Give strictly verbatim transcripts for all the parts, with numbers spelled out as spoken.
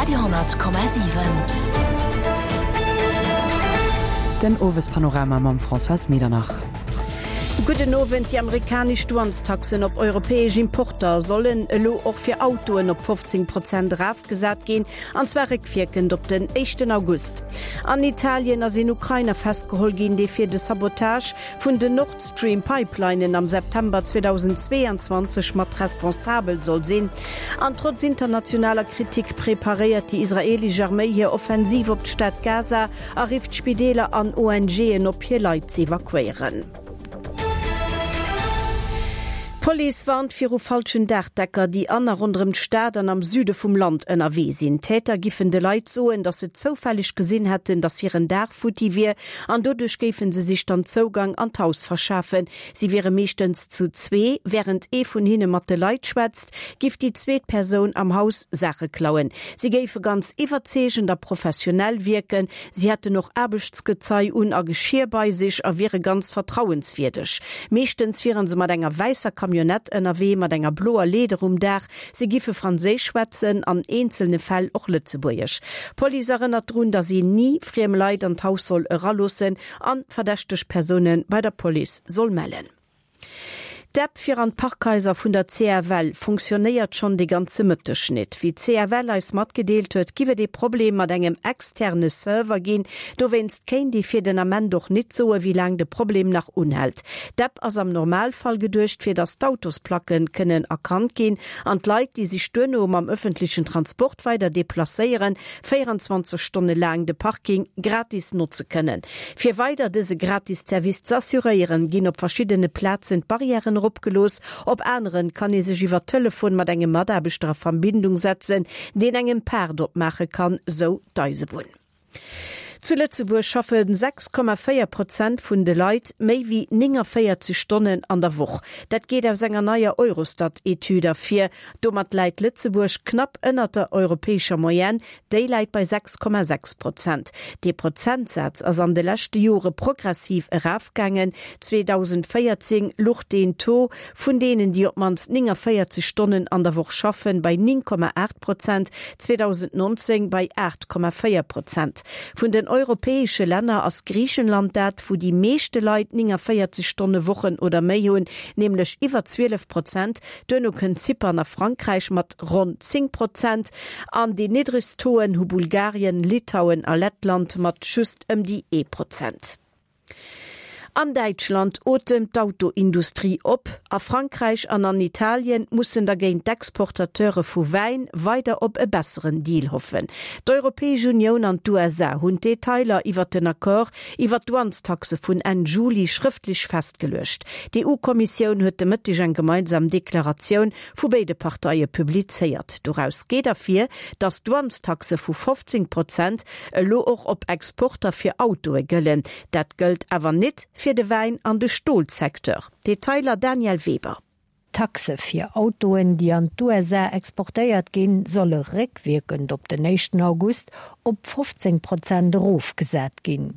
Radio honnert Komma siwen. Den Owespanorama mam Françoise Medernach. Gudden Owend, Déi amerikanesch Douanestaxen op europäesch Importer sollen elo och fir Autoen op fofzéng Prozent erafgesat ginn, an zwar réckwierkend op den éischten August. An Italien ass een Ukrainer festgeholl ginn, dee fir de Sabotage vun den Nord Stream Pipelinen am September zweedausendzweeanzwanzeg mat responsabel soll sinn. An trotz internationaler Kritik preparéiert déi israeelesch Arméi hir Offensiv op d'Stad Gaza a rifft Spideeler an ONGen op, hir Leit z'evakuéieren. D'Police warnt viru falschen Daachdecker, déi an a ronderëm d'Stad an am Süde vum Land ënnerwee sinn. D'Täter giffen de Leit soen, datt se zoufälleg gesinn hätten, datt hiren Daach futti wier an doduerch géife se sech dann Zougang an d'Haus verschafen. Si wiere meeschtens zu zwee, wärend ee vun hinne mat de Leit schwätzt, giff déi zweet Persoun am Haus Saache klauen. Si géife ganz iwwerzeegend a professionell wierken, si hätten och Aarbechtsgezei un a Geschier bei sech a wiere ganz vertrauenswierdeg. Meeschtens wiere se mat enger wäisser Camionnette ënnerwee mat enger bloer Leeder um Daach. Si giffe Franséisch schwätzen, an eenzelne Fäll och Lëtzebuergesch. D'Police erënnert drun, datt een ni friem Leit an d'Haus soll eraloossen an verdächteg Persoune bei der Police soll mellen. D'App fir an d'Parkhaiser vun der C F L funktionéiert schonn de ganze Mëtteg net. Wéi d'C F L eis matgedeelt huet, giff et ee Problem mat engem externe Server ginn. Dowéinst kéint ee fir den Ament och nit soe wéi laang de Problem nach unhält. D'App ass am Normalfall geduecht fir datt d'Autosplacken kënnen erkannt ginn an d'Leit, déi sech duerno mam ëffentlechen Transport weider deplacéieren, véierenzwanzeg Stonne laang de Parking gratis notze kënnen. Fir weider dëse gratis Service z'assuréieren, ginn op verschiddene Plazen d'Barrièren eropgelooss, op aneren kann ee sech iwwer Telefon mat engem Mataarbechter a Verbindung setzen, deen engem d'Paart opmaache kann, sou d'Eisebunn. Zu Lëtzebuerg schaffe sechs Komma véier Prozent vun de Leit méi wéi nénganvéierzeg Stonnen an der Woch. Dat geet aus enger neier Eurostat-Etüd ervir. Domat läit Lëtzebuerg knapp ënnert der europäescher Moyenne, déi läit bei sechs Komma sechs Prozent. Dee Prozentsaz ass an de leschte Jore progressiv erafgaangen. zweedausendvéierzéng luch den Taux vun deenen, déi op d'mannst nénganvéierzeg Stonnen an der Woch schaffen, bei néng Komma aacht Prozent, zweedausendnonzéng bei aacht Komma véier Prozent. Vun den europäesche Länner ass Griichenland dat, wou déi meeschte Leit nénganvéierzeg Stonne Wochen oder méi hunn, nämlech iwwer zwielef Prozent. Duerno kënnt Zypern a Frankräich mat ronn zéng Prozent. An déi niddregst Tauxen hu Bulgarien, Litauen a Lettland mat just ëm déi ee Prozent. An Däitschland otemt d'Autoindustrie op. A Frankräich an an Italien mussen dergéint d'Exportateure vu Wäin weider op e besseren Deal hoffen. D'Europäesch Unioun an d'U S A hunn d'Detailer iwwer den Accord iwwer d'Douanestaxe vun Enn Juli schrëftlech festgeluecht. D'E U-Kommissioun huet de Mëtteg eng gemeinsam Deklaratioun vu béide Parteie publizéiert. Doraus geet ervir, datt d'Douanestaxe vu fofzéng Prozent elo och op Exporter fir Autoe gëllen. Dat gëllt awer net fir de Wäin an de Stolsecteur. Detailer Danièle Weber. D'Taxe fir Autoen, déi an d'U S A exportéiert ginn, solle réckwierkend op den éischten August op fofzéng Prozent erofgesat ginn.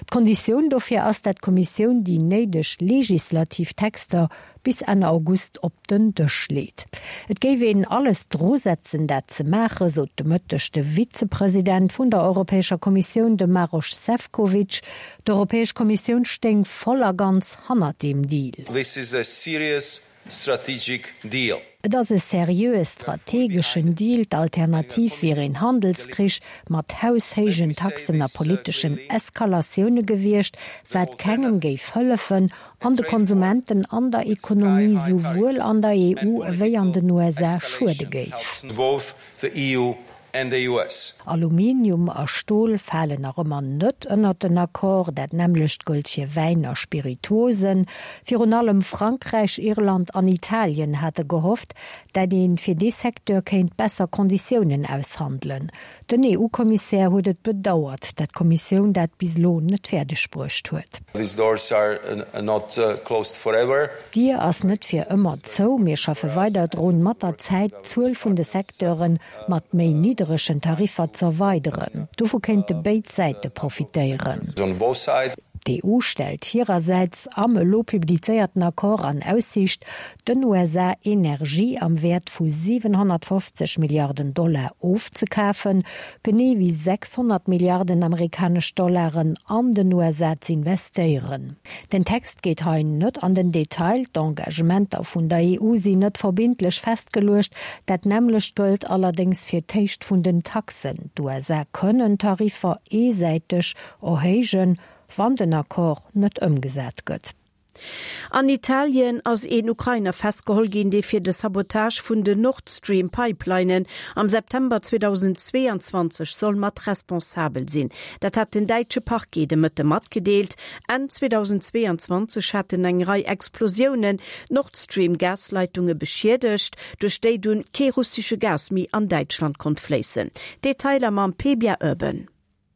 D'Konditioun dofir ass, dat d'Kommissioun déi néideg legislativ Texter bis Enn August op den Dësch leet. Et géif een alles drusetzen, dat ze maachen, sot de Mëtteg de Vizepresident vun der Europäescher Kommissioun, de Maroš Šefčovič. D'Europäesch Kommissioun stéing voll a ganz hannert deem Deal. This is a serious strategic deal. Et ass e seriöe strategeschen Deal, d'Alternativ wier een Handelskrich mat haushéijen Taxen a politeschen Eskalatioune gewiescht, wat kengem géif hëllefen an de Konsumenten an der Ekonomie souwuel an der E U wéi an den U S A schuede géif. Both the E U and the U S. Aluminium a Stol falen nach ëmmer net ënnert den Accord, dat nämmlecht gëllt fir Wäin a Spirituosen. Virun allem Frankräich, Irland an Italien hate gehofft, dat een fir dee Secteur kéint besser Konditiounen aushandelen. Den E U-Kommissär huet et bedauert, dat d'Kommissioun dat bis elo net fäerdeg bruecht huet. These doors are not closed forever. D'Dier ass net fir ëmmer zou, mir schaffe weider drun, mat der Zäit d'Zuel vun de Secteure mat méi nidderegen Tariffer z'erweideren. Dovu kéinte béid Säite profitéieren. On both sides. D'EU stellt hirersäits am elo publizéierten Accord an Aussiicht, den USA Energie am Wäert vu siwenhonnertfofzeg Milliarden Dollar ofzekafen, genee wéi sechshonnert Milliarden amerikanesch Dollaren an den USA z'investéieren. Den Text geet hei net an den Detail, d'Engagementer vun der EU sinn net verbindlech festgeluecht, dat nämmlecht gëllt allerdéngs fir d'Héicht vun den Taxen, D'USA kënnen Tariffer eesäiteg erhéijen, wann den Accord net ëmgesat gëtt. An Italien ass een Ukrainer festgeholl ginn, dee fir de Sabotage vun den Nord Stream Pipelinen am September zweedausendzweeanzwanzeg soll mat responsabel sinn. Dat hat den däitsche Parquet de Mëtte matgedeelt. Enn zweedausendzweeanzwanzeg haten eng Rei Explosiounen d'Nord Stream Gasleitunge beschiedegt, duerch déi dunn kee russesche Gas méi an Däitschland konnt fléissen. Detailer mam Pebia Urban.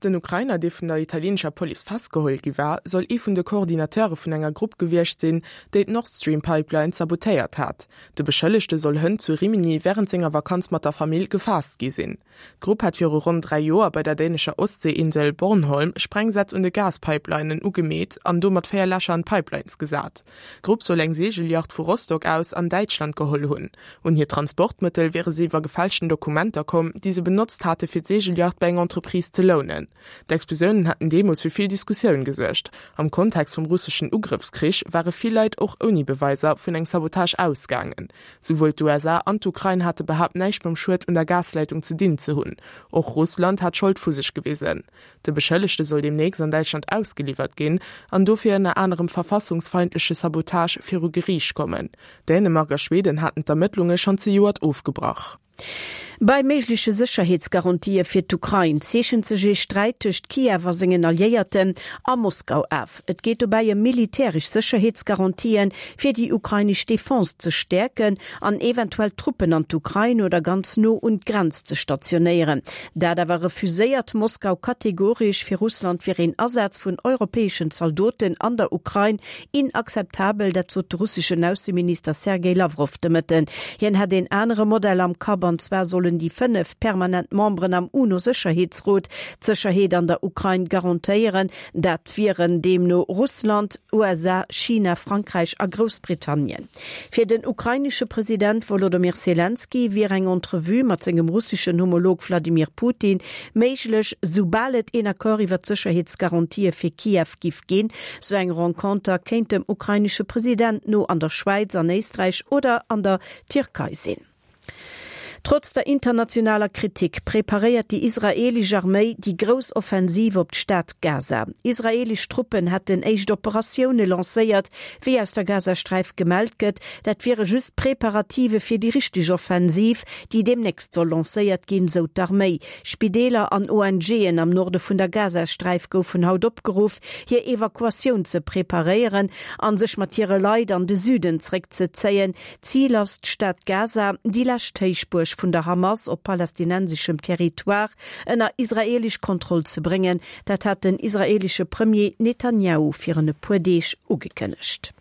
Den Ukrainer, dee vun der italieenescher Police festgeholl gi war, soll ee vun de Coordinateure vun enger Grupp gewiescht sinn, déi d'Nord Stream Pipeline sabotéiert hat. De Beschëllegte soll hënt zu Rimini wärend senger Vakanz mat der Famill gefaasst gi sinn. D'Grupp hat viru ronn dräi Joer bei der dänescher Ostseeinsel Bornholm Sprengsätz un de Gaspipelinen ugemeet an domat véier Lächer an d'Pipelines gesat. D'Grupp soll eng Seegelyacht vu Rostock aus an Däitschland geholl hunn. Un hir Transportmëttel wiere se iwwer gefälschten Dokumenter komm, déi se benotzt hate fir d'Seegelyacht bei enger Entreprise ze lounen. D'Explosiounen haten deemools fir vill Diskussioun gesuergt. Am Kontext vum russeschen Ugrëffskrich ware vill Leit och ouni Beweiser vun engem Sabotage ausgaangen. Souwuel d'USA an d'Ukrain hate behaapt näischt mam Schued un der Gasleitung ze dinn ze hunn. Och Russland hat Schold vu sech gewisen. De Beschëllegte soll deemnächst an Däitschland ausgeliwwert ginn an dofir ënner anerem verfassungsfeindleche Sabotage viru Geriicht kommen. Dänemark a Schweden haten d'Ermëttlunge schonn zejoert ofgebrach. Bei méigleche Sécherheetsgarantië fir d'Ukrain zeechent sech ee Sträit tëscht Kiew a sengen Alliéierten a Moskau af. Et geet dobäi ëm militäresch Sécherheetsgarantien, fir déi ukrainesch Defense ze stäerken an eventuell Truppen an d'Ukrain oder ganz no un d'Grenz ze stationéieren. Dat awer refuséiert Moskau kategoresch. Fir Russland wier een Asaz vun europäeschen Zaldoten an der Ukrain inakzeptabel, dat sot de russeschen Ausseminister Sergej Lawrow de Mëtten. Hien hätt een anere Modell am Kapp, an zwar sollen déi fënnef permanent Memberen am UNO-Sécherheetsrot d'Sécherheet an der Ukrain garantéieren. Dat wieren deemno Russland, USA, China, Frankräich a Groussbritannien. Fir den ukrainesche President Wolodymyr Selenskyj wier eng Entrevue mat sengem russeschen Homolog Wladimir Putin méiglech, soubal et een Accord iwwer d'Sécherheetsgarantië fir Kiew giff ginn. Sou eng Renconter kéint dem ukrainesche President no an der Schwäiz, an Éisträich oder an der Tierkei sinn. Trotz der internationaler Kritik preparéiert déi israeelesch Arméi déi grouss Offensiv op d'Stad Gaza. Israeelesch Truppen hätten éischt Operatioune lancéiert, wéi aus der Gazasträif gemellt gëtt. Dat wiere just Preparative fir déi richteg Offensiv, déi deemnächst soll lancéiert ginn, sou d'Arméi. Spideeler an ONGen am Norde vun der Gazasträif goufen haut opgeruff, hir Evakuatioun ze preparéieren a sech mat hire Leit an de Süden zeréckzezéien. Zil ass d'Stad Gaza, déi lescht Héichbuerg vun der Hamas op palästinenseschem Territoire, ënner israeelesch Kontroll ze bréngen. Dat hat den israeelesche Premier Netanjahu virun e puer Deeg ugekënnegt.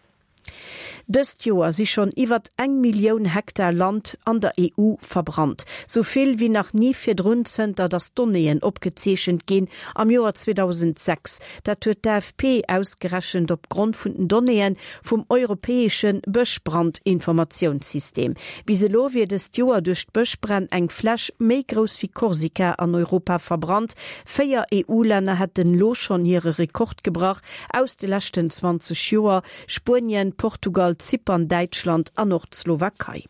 Dëst Joer si schonn iwwert eng Millioun Hektar Land an der EU verbrannt. Sou vill wéi nach ni virdrun, zënter datt Donnéeën opgezeechent ginn, am Joer zweedausendsechs. Dat huet d'AFP ausgerechent op Grond vun den Donnéeë vum europäesche Bëschbrand-Informatiounssystem. Bis elo wier dëst Joer duerch d'Bëschbränn eng Fläch méi grouss wéi Korsika an Europa verbrannt. Véier EU-Länner hätten elo schonn hire Rekord gebrach aus de leschten zwanzeg Joer, Spuenien, Portugal, Zypern, Däitschland an och d'Slowakei.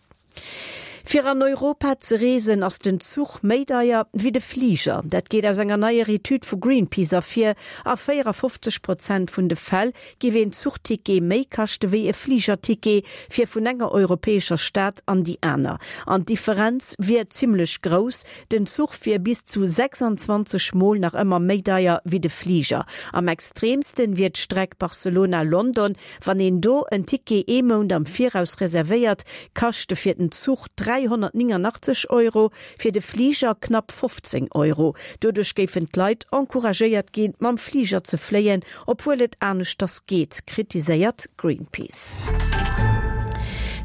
Fir an Europa ze reesen ass den Zuch méi deier wéi de Fliger. Dat geet aus enger neier Etüd vu Greenpeace ervir. A véierafofzeg Prozent vun de Fäll géif een Zuchticket méi kaschte wéi e Fligerticket fir vun enger europäescher Stad an déi aner. An d'Differenz wier zimmlech grouss, Den Zuch wier bis zu sechsanzwanzeg Mol nach ëmmer méi deier wéi de Fliger. Am extreemsten wier d'Streck Barcelona-London, Wann een do en Ticket ee Mount am Viraus reservéiert, kascht e fir den Zuch dräihonnertnénganachtzeg Euro, fir de Fliger knapp fofzéng Euro. Doduerch géifen d'Leit encouragéiert ginn, mam Fliger ze fléien, obwuel et aneschters geet, kritiséiert Greenpeace.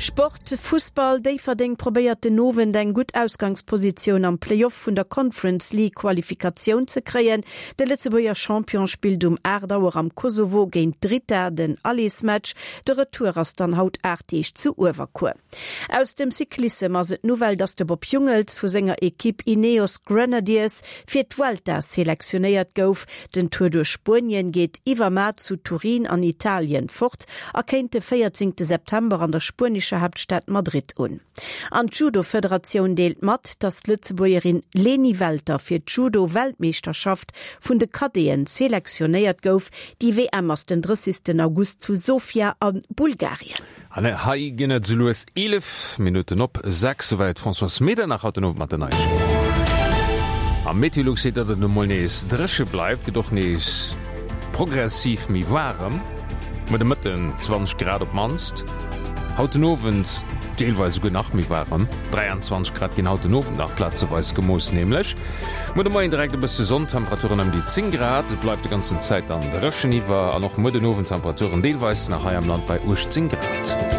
Sport, Fussball, Déifferdeng probéiert den Owend eng gutt Ausgangspositioun am Playoff vun der Conference League Qualifikatioun ze kréien. De Lëtzebuerger Champion spillt um aacht Auer am Kosovo géint Drita den Allersmatch. De Retour ass dann haut aacht Deeg zu Uewerkuer. Aus dem Cyclissem ass et d'Nouvelle, datt de Bob Jungels vu senger Ekipp Ineos Grenadiers fir d'Vuelta selektionéiert gouf. Den Tour duerch Spuenien geet iwwermar zu Turin an Italien fort a kéint de véierzéngte September an der spuenescher Haaptstad Madrid un. An d'Judo-Federatioun deelt mat, datt d'Lëtzebuergerin Leni Welter fir d'Judo-Weltmeeschterschaft vun de Cadeten selektionéiert gouf. Déi W M ass den drëssegsten August zu Sofia a Bulgarien. An hei ginn et sou lues eelef Minutten op sechs. Souwäit d'Françoise Medernach haut den Owend mat den Neiegkeeten. A Meteolux seet, datt et emol nees dréche bleift, gëtt och nees progressiv méi waarem, muer de Mëtten zwanzeg Grad op d'mannst, haut den Owend deelweis esouguer nach méi waarem, dräianzwanzeg Grad ginn haut den Owend nach plazeweis gemooss nämlech. Muer de Moien direkt e bësse Sonn, Temperaturen ëm déi zéng Grad, et bleift de ganzen Zäit dann dréchen iwwer an och muer den Owend Temperaturen deelweis nach hei am Land bei uechtzéng Grad.